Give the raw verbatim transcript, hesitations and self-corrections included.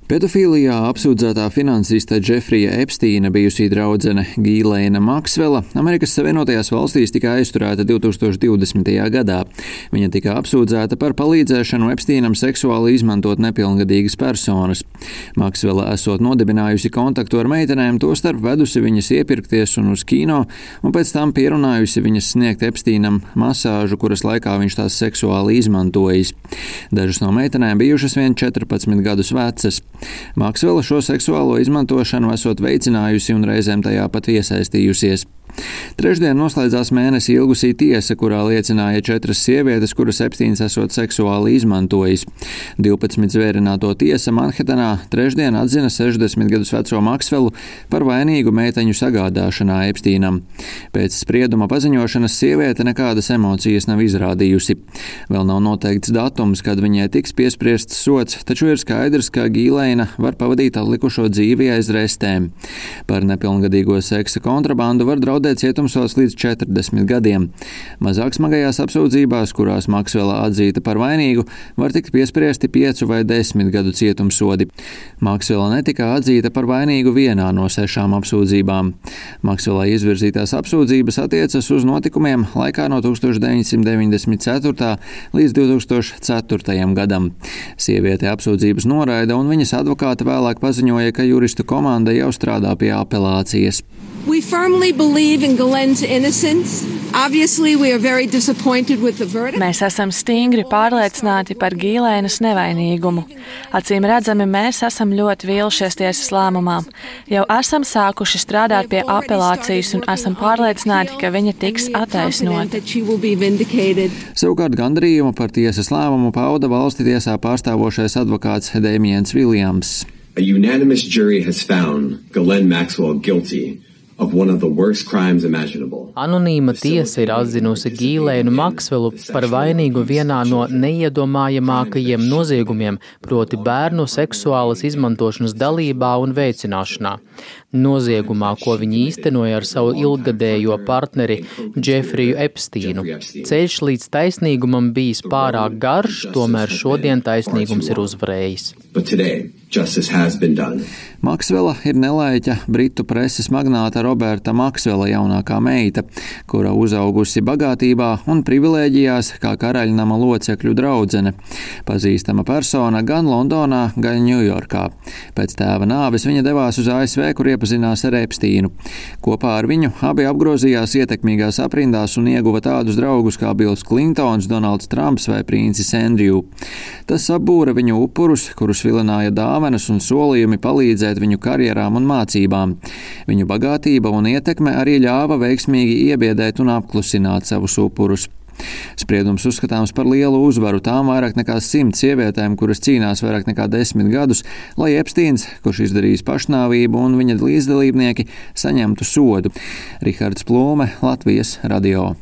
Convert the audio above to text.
Pedofīlijā apsūdzētā finansista Džefrija Epstīna bijusī draudzene Ghislaine Maxwella Amerikas Savienotajās valstīs tika aizturēta divtūkstoš divdesmitajā gadā. Viņa tika apsūdzēta par palīdzēšanu Epstīnam seksuāli izmantot nepilngadīgas personas. Maxwella esot nodibinājusi kontaktu ar meitenēm, tostarp vedusi viņas iepirkties un uz kino, un pēc tam pierunājusi viņas sniegt Epstīnam masāžu, kuras laikā viņš tās seksuāli izmantojis. Dažas no meitenēm bijušas vien četrpadsmit gadus vecas. Maxwella šo seksuālo izmantošanu esot veicinājusi un reizēm tajā pat iesaistījusies. Trešdien noslēdzās mēnesi ilgusī tiesa, kurā liecināja četras sievietes, kuras Epstīns esot seksuāli izmantojis. divpadsmit zvērināto tiesa Manhetenā trešdien atzina sešdesmit gadus veco Maxwellu par vainīgu meiteņu sagādāšanā Epstīnam. Pēc sprieduma paziņošanas sieviete nekādas emocijas nav izrādījusi. Vēl nav noteikts datums, kad viņai tiks piespriests sods, taču ir skaidrs, ka Ghislaine var pavadīt atlikušo dzīvi aiz restēm. Par nepilngadīgo seksa kontrabandu var draudēt cietumsods līdz četrdesmit gadiem. Mazāk smagajās apsūdzībās, kurās Maxwella atzīta par vainīgu, var tikt piespriesti piecu vai desmit gadu cietumsodi. Maxwella netika atzīta par vainīgu vienā no sešām apsūdzībām. Maxwellai izvirzītās apsūdzības attiecas uz notikumiem laikā no tūkstoš deviņsimt deviņdesmit ceturtā līdz divtūkstoš ceturtajam gadam. Sieviete apsūdzības noraida, un viņas advokāte vēlāk paziņoja, ka juristu komanda jau strādā pie apelācijas. We firmly believe in Ghislaine's innocence. Obviously, we are very disappointed with the verdict. Mēs esam stingri pārliecināti par Ghislainas nevainīgumu. Acīm redzami, mēs esam ļoti vīlušies tiesas lēmumā. Jau esam sākuši strādāt pie apelācijas un esam pārliecināti, ka viņa tiks attaisnota. Savukārt gandarījumu par tiesas lēmumu pauda valsti tiesā pārstāvošais advokāts Dēmiens Viljams. A unanimous jury has found Ghislaine Maxwell guilty of one of the worst crimes imaginable. Anonīma tiesa ir atzinusi Ghislainu Maxwellu par vainīgu vienā no neiedomājamākajiem noziegumiem, proti bērnu seksuālas izmantošanas dalībā un veicināšanā. Noziegumā, ko viņi īstenoja ar savu ilggadējo partneri Džefriju Epstīnu. Ceļš līdz taisnīgumam bijis pārāk garš, tomēr šodien taisnīgums ir uzvarējis. Maxwella ir nelaiķa britu preses magnāta Roberta Maxwella jaunākā meita, kura uzaugusi bagātībā un privilēģijās kā karaļnama locekļu draudzene. Pazīstama persona gan Londonā, gan Ņujorkā. Pēc tēva nāves viņa devās uz A S V, kur iepazinās ar Epstīnu. Kopā ar viņu abi apgrozījās ietekmīgās aprindās un ieguva tādus draugus kā Bills Klintons, Donalds Trumps vai princis Andrew. Tas apbūra viņu upurus, kurus vilināja dāvanas un solījumi palīdzēt viņu karjerām un mācībām. Viņu bagātība un ietekme arī ļāva veiksmīgi iebiedēt un apklusināt savus upurus. Spriedums uzskatāms par lielu uzvaru tām vairāk nekā simt sievietēm, kuras cīnās vairāk nekā desmit gadus, lai Epstīns, kurš izdarījis pašnāvību, un viņa līdzdalībnieki saņemtu sodu. Rihards Plūme, Latvijas radio.